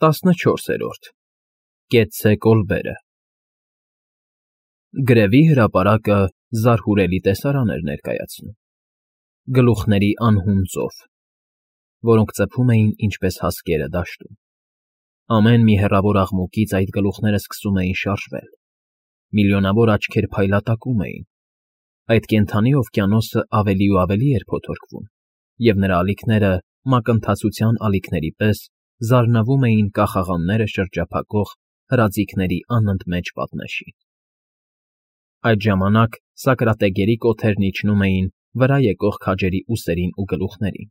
14-րդ Կեցցե կոլբերը Գրևի հրապարակը զարհուրելի տեսարան էր ներկայացնում. գլուխների անհուն ծով, որոնք ծփում էին ինչպես հասկերը դաշտում. ամեն մի հեռավոր աղմուկից այդ գլուխները սկսում էին շարժվել, միլիոնավոր աչքեր փայլատակում էին, այդ կենդանի օվկիանոսը ավելի ու ավելի էր փոթորկվում, և նրա ալիքները մակընթացության ալիքների պես զարնվում էին կախաղանները շրջափակող հրաձիգների անընդմեջ պատնեշին։ Այդ ժամանակ սակրատեգերի կոթերն իջնում էին վրա եկող քաջերի ուսերին ու գլուխներին,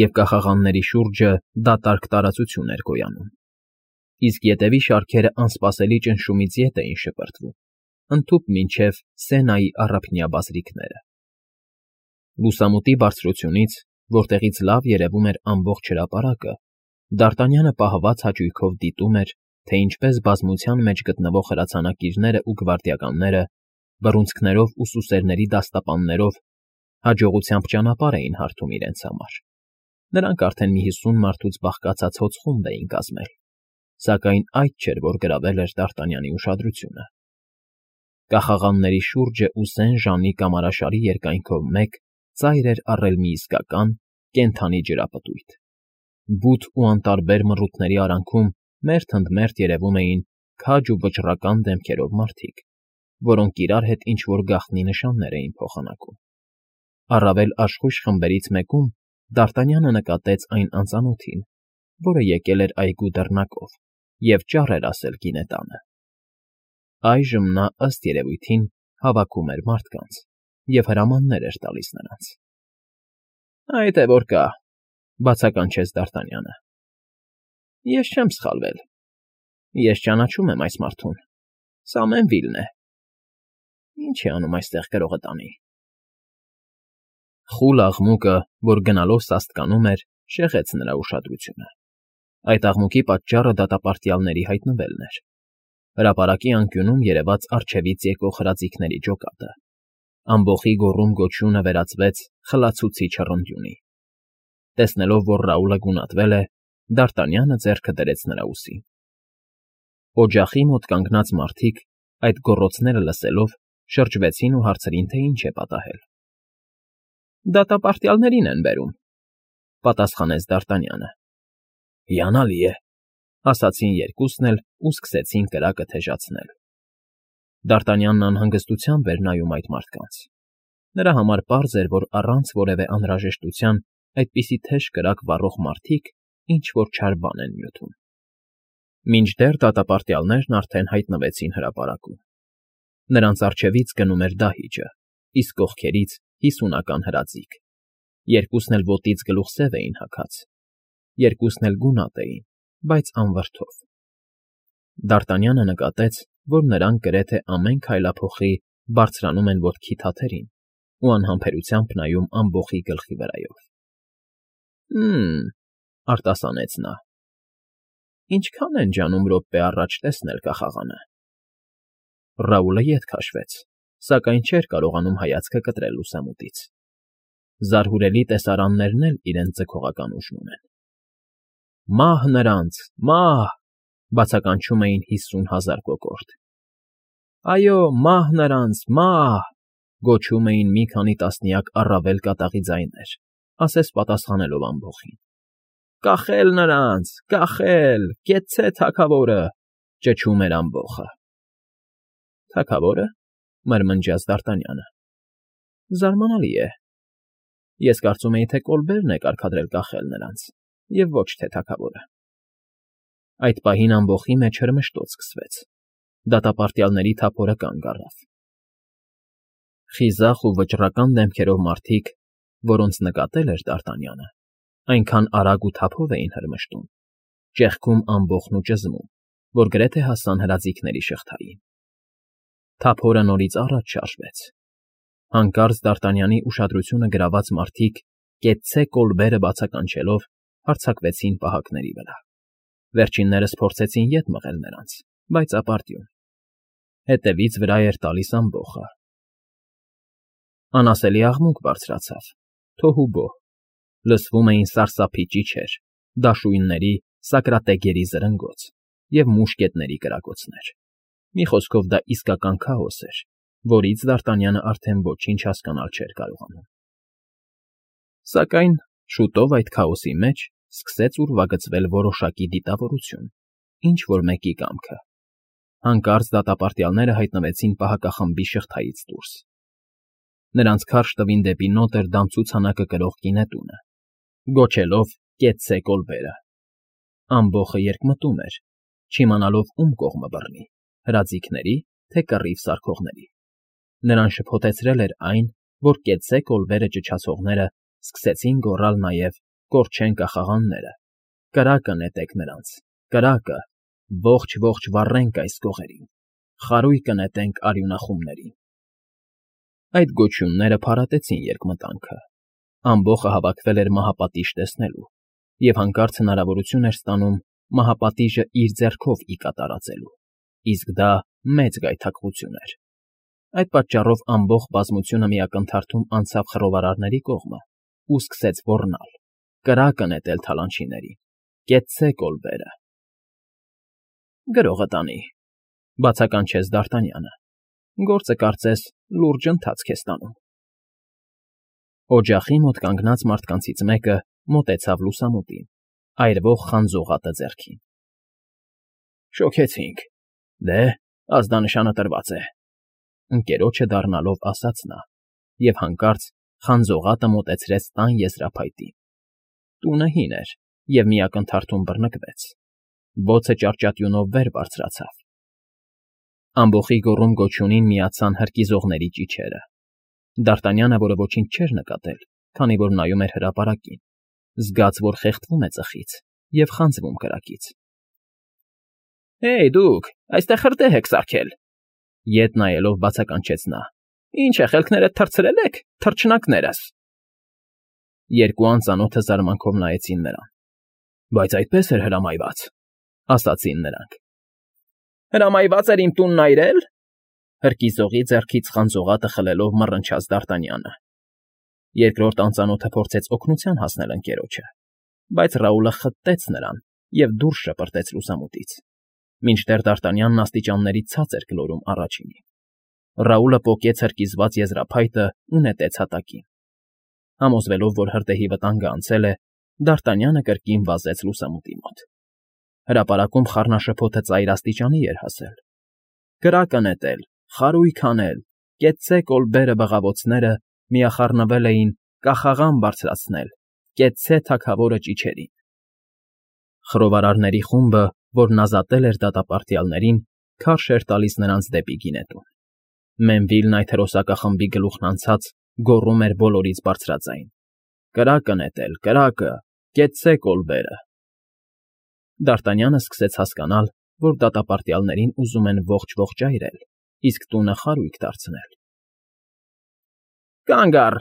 և կախաղանների շուրջը դատարկ տարածություն էր գոյանում, իսկ ետևի շարքերը անսպասելի ճնշումից ետ էին շպրտվում, ընդհուպ մինչև Սենայի առափնյա բազրիքները։ Լուսամուտի բարձրությունից, որտեղից լավ երևում էր ամբողջ հրապարակը, Դարտանյանը պահված հաճույքով դիտում էր, թե ինչպես բազմության մեջ գտնվող հրացանակիրները ու գվարդիականները, բռունցքներով ու սուսերների դաստապաններով հաջողությամբ ճանապարհ էին հարթում իրենց համար։ Նրանք արդեն մի 50 մարդուց բաղկացած հոծխումբ էին կազմել, սակայն այդ չէր, որ գրավել էր Դարտանյանի ուշադրությունը։ Կախաղանների շուրջը ու սեն ժանի կամարաշարի երկայնքով մեկ ծայր էր առել մի իսկական, կենդանի ջրապտույտ։ Բութ ու անտարբեր մռութների արանքում մերթ ընդ մերթ երևում էին քաջ ու վճռական դեմքերով մարդիկ, որոնք իրար հետ ինչ֊որ գաղտնի նշաններ էին փոխանակում։ Առավել աշխույժ խմբերից մեկում Դարտանյանը նկատեց այն անծանոթին, որը եկել էր այգու դռնակով և ճառ էր ասել գինետանը։ Այժմ նա, ըստ երևույթին, հավաքում էր մարդկանց և հրամաններ էր տալիս նրանց։ ֊ Այդ է որ կա,֊ բացականչեց Դարտանյանը։ ֊ Ես չեմ սխալվել։ Ես ճանաչում եմ այս մարդուն. սա Մենվիլն է։ Ինչ է անում այստեղ գրողը տանի։ Խուլ աղմուկը, որ գնալով սաստկանում էր, շեղեց նրա ուշադրությունը։ Այդ աղմուկի պատճառը դատապարտյալների հայտնվելն էր։ Հրապարակի անկյունում երևաց առջևից եկող հրաձիգների ջոկատը։ Ամբոխի գոռում֊գոչյունը վերածվեց խլացուցիչ հռնդյունի։ Տեսնելով, որ Ռաուլը գունատվել է, Դարտանյանը ձեռքը դրեց նրա ուսին։ Օջախի մոտ կանգնած մարդիկ, այդ գոռոցները լսելով, շրջվեցին ու հարցրին, թե ինչ է պատահել։ ֊ Դատապարտյալներին են բերում,֊ պատասխանեց Դարտանյանը։ ֊ Հիանալի է,֊ ասացին երկուսն էլ ու սկսեցին կրակը թեժացնել։ Դարտանյանն անհանգստությամբ էր նայում այդ մարդկանց։ Նրա համար պարզ էր, որ առանց որևէ անհրաժեշտության այդպիսի թեժ կրակ վառող մարդիկ ինչ֊որ չար բան են նյութում։ Մինչդեռ դատապարտյալներն արդեն հայտնվեցին հրապարակում։ Նրանց առջևից գնում էր դահիճը, իսկ կողքերից 50-ական հրաձիգ։ Երկուսն էլ ոտից գլուխ սև էին հագած։ Երկուսն էլ գունատ էին, բայց անվրդով։ Դարտանյանը նկատեց, որ նրանք գրեթե ամեն քայլափոխի բարձրանում են ոտքի թաթերին ու անհամբերությամբ նայում ամբոխի գլխի վրայով։ Հը՜մ,֊ արտասանեց նա։ Ինչքան են ջանում րոպե առաջ տեսնել կախաղանը։ Ռաուլը ետ քաշվեց, սակայն չէր կարողանում հայացքը կտրել լուսամուտից։ Զարհուրելի տեսարաններն էլ իրենց ձգողական ուժն ունեն։ Մահ նրանց, մահ,֊ բացականչում էին 50,000 կոկորդ։ Այո, մահ նրանց, մահ,֊ գոչում էին մի քանի տասնյակ առավել կատաղի ձայներ, ասես պատասխանելով ամբոխին։ Կախել նրանց, կախել, կեցցե թագավորը,֊ ճչում էր ամբոխը։ Թագավո՞րը,֊ մրմնջաց Դարտանյանը։ Զարմանալի է։ Ես կարծում էի, թե կոլբերն է կարգադրել կախել նրանց, և ոչ թե թագավորը։ Այդ պահին ամբոխի մեջ հրմշտոց սկսվեց։ Դատապարտյալների թափորը կանգ առավ։ Խիզախ ու վճռական դեմքերով մարդիկ, որոնց նկատել էր Դարտանյանը, այնքան արագ ու թափով էին հրմշտում, ճեղքում ամբոխն ու ճզմում, որ գրեթե հասան հրաձիգների շղթային։ Թափորը նորից առաջ շարժվեց։ Հանկարծ Դարտանյանի ուշադրությունը գրաված մարդիկ, կեցցե կոլբերը բացականչելով, հարձակվեցին պահակների վրա։ Վերջիններս փորձեցին ետ մղել նրանց, բայց ապարդյուն։ Հետևից վրա էր տալիս ամբոխը։ Անասելի աղմուկ բարձրացավ, թոհուբոհ։ Լսվում էին սարսափի ճիչեր, դաշույնների սակրատեգերի զրնգոց և մուշկետների կրակոցներ։ Մի խոսքով դա իսկական քաոս էր, որից Դ'Արտանյանը արդեն ոչինչ հասկանալ չէր կարողանում։ Սակայն շուտով այդ քաոսի մեջ սկսեց ուրվագծվել որոշակի դիտավորություն, ինչ-որ մեկի կամքը։ Հանկարծ դատապարտյալները հայտնվեցին պահակախմբի շղթայից դուրս։ Նրանց քարշ տվին դեպի Նոտրդամ ցուցանակը կրող գինետունը, գոչելով «Կեցցե կոլբերը»։ Ամբոխը երկմտում էր, չիմանալով ում կողմը բռնի՝ հրաձիգների, թե կռիվ սարքողների։ Նրան շփոթեցրել էր այն, որ «Կեցցե կոլբերը» ճչացողները սկսեցին գոռալ նաև «Կորչեն կախաղանները», «Կրակը նետեք նրանց, կրակը, ողջ վառենք այս գողերին, խարույկը նետենք արյունախումներին»։ Այդ գոչյունները փարատեցին երկմտանքը։ Ամբոխը հավաքվել էր մահապատիժ տեսնելու և հանկարծ հնարավորություն էր ստանում մահապատիժը իր ձեռքով ի կատարածելու, իսկ դա մեծ գայթակղություն էր։ Այդ պատճառով ամբողջ բազմությունը մի ակնթարթում անցավ խռովարարների կողմը ու սկսեց ոռնալ. «Կրակը նետել թալանչիներին, կեցցե կոլբերը»։ «Գրողը տանի», բացականչեց Դ'Արտանյանը։ «Գործը կարծես լուրջ ընթացք է ստանում»։ Օջախի մոտ կանգնած մարդկանցից մեկը մոտեցավ լուսամուտին, այրվող խանձողատը ձեռքին։ «Շոգեցինք, դե, ազդանշանը տրված է», ընկերոջը դառնալով ասաց նա, և հանկարծ խանձողատը մոտեցրեց տան եզրափայտին։ Տունը հին էր և մի ակնթարթում բռնկվեց։ Բոցը ճարճատյունով վեր բարձրացավ։ Ամբոխի գոռում֊գոչյունին միացան հրկիզողների ճիչերը։ Դ'Արտանյանը, որը ոչինչ չէր նկատել, քանի որ նայում էր հրապարակին, զգաց, որ խեղդվում է ծխից և խանձվում կրակից։ «Հեյ, դուք, այստեղ հրդեհ եք սարքել», ետ նայելով բացականչեց նա։ «Ինչ է, խելքներդ թռցրել եք, թռչնակներս»։ Երկու անծանոթը զարմանքով նայեցին նրան։ «Բայց այդպես էր հրամայված», ասացին նրանք։ «Հրամայված էր իմ տունն այրել»։ Հրկիզողի ձեռքից խանձողատը խլելով մռնչաց Դ'Արտանյանը։ Երկրորդ անծանոթը փորձեց օգնության հասնել ընկերոջը, բայց Ռաուլը խտեց նրան և դուրս շպրտեց լուսամուտից, մինչդեռ Դ'Արտանյանն աստիճանների ցած էր գլորում առաջինին։ Ռաուլը պոկեց հրկիզված եզրափայտը ու նետեց հատակին։ Համոզվելով, որ հրդեհի վտանգը անցել է, Դ'Արտանյանը կրկին վազեց լուսամուտի մոտ։ Հրապարակում խառնաշփոթը ծայր աստիճանի էր հասել։ Կրակը նետել, խարույկ հանել, կեցցե կոլբերը բղավոցները միախառնվել էին կախաղան բարձրացնել, կեցցե թագավորը ճիչերին։ Խռովարարների խումբը, որն ազատել էր դատապարտյալներին, քարշ էր տալիս նրանց դեպի գինետուն։ Մենվիլն այդ հրոսակախմբի գլուխն անցած գոռում էր բոլորից բարձրաձայն. «Կրակը նետել, կրակը, կեցցե կոլբերը»։ Դ'Արտանյանը սկսեց հասկանալ, որ դատապարտյալներին ուզում են ողջ այրել, իսկ տունը խարույկ դարձնել։ «Կանգ առ»,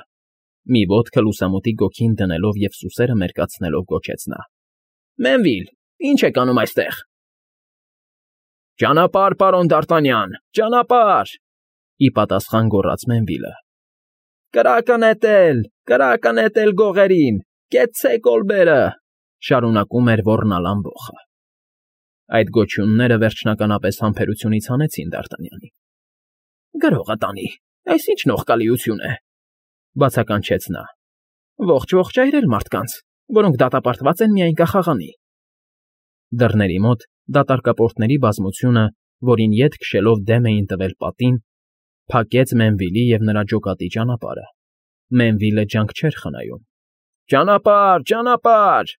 մի ոտքը լուսամուտի գոգին դնելով և սուսերը մերկացնելով գոչեց նա։ «Մենվիլ, ի՞նչ եք անում այստեղ»։ «Ճանապարհ, պարոն Դ'Արտանյան, ճանապարհ», ի պատասխան գոռաց Մենվիլը։ Կրակը նետել գողերին, կեցցե կոլբերը», շարունակում էր ոռնալ ամբոխը։ Այդ գոչյունները վերջնականապես համբերությունից հանեցին Դ'Արտանյանին։ «Գրողը տանի, այս ինչ նողկալիություն է», բացականչեց նա։ «Ողջ այրել մարդկանց, որոնք դատապարտված են միայն կախաղանի»։ Դռների մոտ դատարկապորտների բազմությունը, որին ետ քշելով դեմ էին տվել պատին, փակեց Մենվիլի և նրա ջոկատի ճանապարհը։ Մենվիլը ջանք չէր խնայում։ «Ճանապարհ»,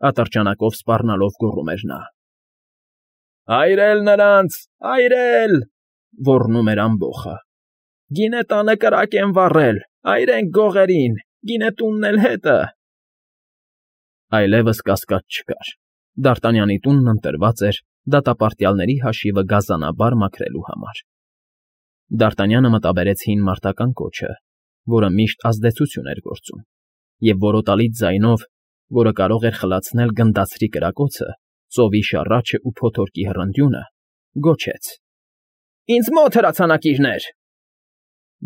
ատրճանակով սպառնալով գոռում էր նա։ «Այրել նրանց, այրել», ոռնում էր ամբոխը։ «Գինետանը կրակ են վառել, այրենք գողերին, գինետունն էլ հետը»։ Այլևս կասկած չկար։ Դ'Արտանյանի տունն ընտրված էր դատապարտյալների հաշիվը գազանաբար մաքրելու համար։ Դ'Արտանյանը մտաբերեց հին մարտական կոչը, որը միշտ ազդեցություն էր գործում, և որոտալից ձայնով, որը կարող էր խլացնել գնդացրի կրակոցը, ծովի շառաչն ու փոթորկի հռնդյունը, գոչեց. «Ինձ մոտ հրացանակիրներ»։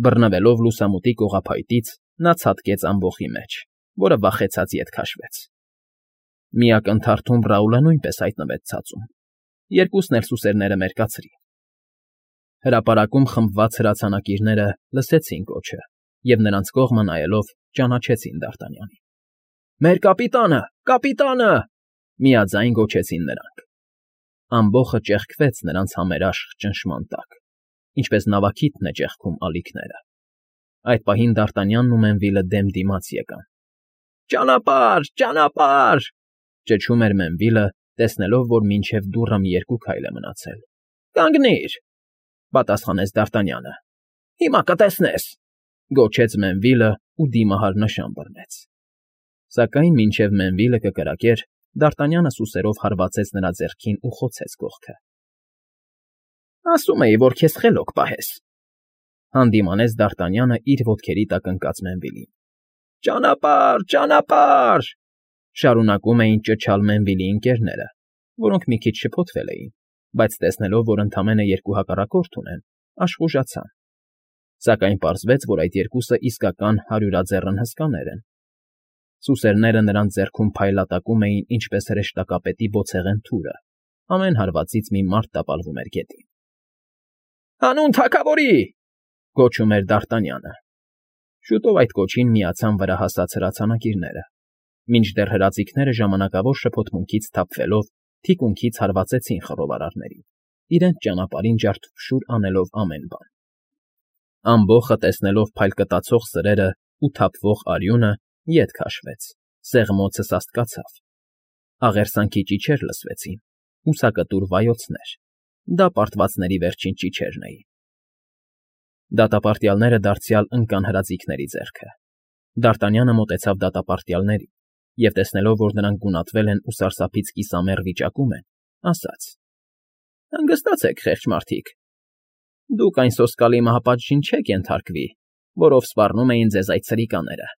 Բռնվելով լուսամուտի կողափայտից՝ նա ցատկեց ամբոխի մեջ, որը վախեցած ետ քաշվեց։ Մի ակնթարթում Ռաուլը նույնպես հայտնվեց ցածում, երկուսն էլ սուսերները մերկացրին։ Հրապարակում խմբված հրացանակիրները լսեցին կոչը և նրանց կողմը նայելով ճանաչեցին Դ'Արտանյանին։ «Մեր կապիտանը, կապիտանը!» միաձայն գոչեցին նրանք։ Ամբոխը ճեղքվեց նրանց համերաշխ ճնշման տակ, ինչպես նավակիթն է ճեղքում ալիքները։ Այդ պահին Դ'Արտանյանն ու Մենվիլը դեմ դիմաց եկան։ «Ճանապարհ, ճանապարհ!» ճչում էր Մենվիլը, տեսնելով, որ մինչև դուռը մի երկու քայլ է մնացել։ «Կանգնիր!» պատասխանեց Դ'Արտանյանը։ «Հիմա կտեսնես», գոչեց Մենվիլը ու դիմահար նշան բռնեց։ Սակայն մինչև Մենվիլը կկրակեր, Դ'Արտանյանը սուսերով հարվածեց նրա ձեռքին ու խոցեց կողքը։ «Ասում էի, որ քեզ խելոք պահես», հանդիմանեց Դ'Արտանյանը իր ոտքերի տակ ընկած Մենվիլին։ «Ճանապարհ, ճանապարհ», շարունակում էին ճչալ Մենվիլի ընկերները, որոնք մի քիչ շփոթվել էին, բայց տեսնելով, որ ընդամենը երկու հակառակորդ ունեն, աշխուժացան։ Սակայն պարզվեց, որ այդ երկուսը իսկական հարյուրաձեռն հսկաներ են։ Սուսերները նրանց ձեռքում փայլատակում էին ինչպես հրեշտակապետի բոցեղեն թուրը, ամեն հարվածից մի մարդ տապալվում էր գետին։ «Հանուն թագավորի!» գոչում էր Դ'Արտանյանը։ Շուտով այդ կոչին միացան վրա հասած հրացանակիրները, մինչդեռ հրաձիգները ժամանակավոր շփոթմունքից թափվելով թիկունքից հարվածեցին խռովարարներին, իրենց ճանապարհին ջարդուփշուր անելով ամեն բան։ Ամբոխը տեսնելով փայլկտացող սրերն ու թափվող արյունը, ետ քաշվեց, սեղմոցը սաստկացավ։ Աղերսանքի ճիչեր լսվեցին, ուսակտուր վայոցներ, դա պարտվածների վերջին ճիչերն էին։ Դատապարտյալները դարձյալ ընկան հրաձիգների ձեռքը։ Դ'Արտանյանը մոտեցավ դատապարտյալներին և, տեսնելով, որ նրանք գունատվել են ու սարսափից կիսամեռ վիճակում են, ասաց. «Հանգստացեք, խեղճ մարդիկ, դուք այն սոսկալի մահապատժին չեք ենթարկվի, որով սպառնում էին ձեզ այդ սրիկաները։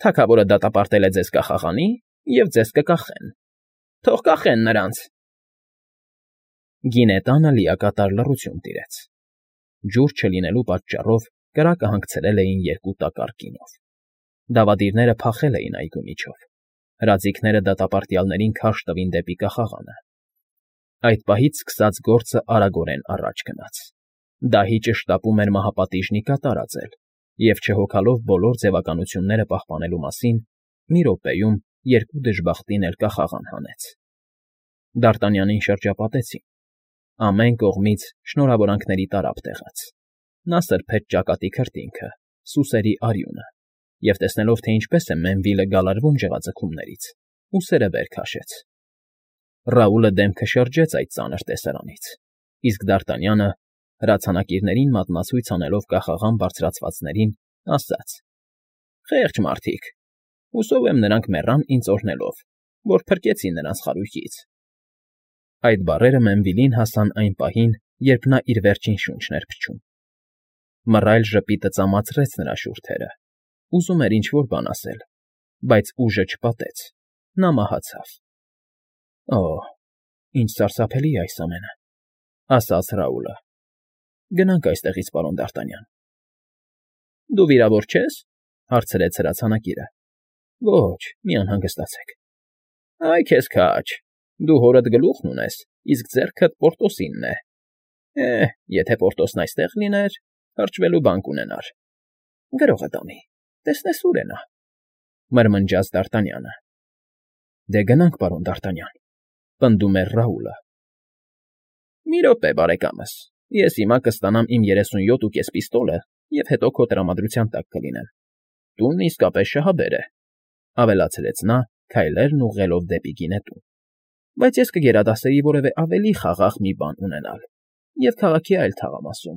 Թագավորը դատապարտել է ձեզ կախաղանի և ձեզ կկախեն։ Թող կախեն նրանց»։ Գինետանը լիակատար լռություն տիրեց։ Ջուր չլինելու պատճառով կրակը հանգցրել էին երկու տակառ գինով։ Դավադիրները փախել էին այգու միջով։ Հրաձիգները դատապարտյալներին քարշ տվին դեպի կախաղանը։ Այդ պահից սկսած գործը արագորեն առաջ գնաց։ Դահիճը շտապում էր մահապատիժնի կատարածել և, չհոգալով բոլոր ձևականությունները պահպանելու մասին, մի րոպեում երկու դժբախտին էլ կախաղան հանեց։ Դ'Արտանյանին շրջապատեցին։ Ամեն կողմից շնորհավորանքների տարափ տեղաց։ Նա սրբեց ճակատի քրտինքը, սուսերի արյունը և, տեսնելով, թե ինչպես է Մենվիլը գալարվում ջղաձգումներից, ուսերը վեր քաշեց։ Ռաուլը դեմքը շրջեց այդ ծանր տեսարանից, իսկ Դ'Արտանյանը, հրացանակիրներին մատնացույց անելով կախաղան բարձրացվածներին, ասաց. «Խեղճ մարդիկ, հուսով եմ նրանք մեռան ինձ օրհնելով, որ փրկեցի նրանց խարույկից»։ Այդ բառերը Մենվիլին հասան այն պահին, երբ նա իր վերջին շունչն էր փչում։ Մռայլ ժպիտը ծամացրեց նրա շուրթերը, ուզում էր ինչ֊որ բան ասել, բայց ուժը չպատեց, նա մահացավ։ «Օ՜, ինչ սարսափելի է այս ամենը», ասաց Ռաուլը։ «Գնանք այստեղից, պարոն Դ'Արտանյան»։ «Դու վիրավոր չե՞ս», հարցրեց հրացանակիրը։ «Ոչ, մի անհանգստացեք»։ «Այ քեզ քաջ, դու հորդ գլուխն ունես, իսկ ձեռքդ Պորտոսինն է։ Եթե Պորտոսն այստեղ լիներ, հրճվելու բան կունենար։ Գրողը տանի, տեսնես ուր է նա», մրմնջաց Դ'Արտանյանը։ «Դե գնանք, պարոն Դ'Արտանյան», պնդում էր Ռաուլը։ «Մի րոպե, բարեկամս, ես հիմա կստանամ իմ 37.5 պիստոլը և հետո քո տրամադրության տակ կլինեմ։ Տունն իսկապես շահաբեր է», ավելացրեց նա, քայլերն ուղղելով դեպի գինետուն։ «Բայց ես կգերադասեի որևէ ավելի խաղաղ մի բան ունենալ և քաղաքի այլ թաղամասում,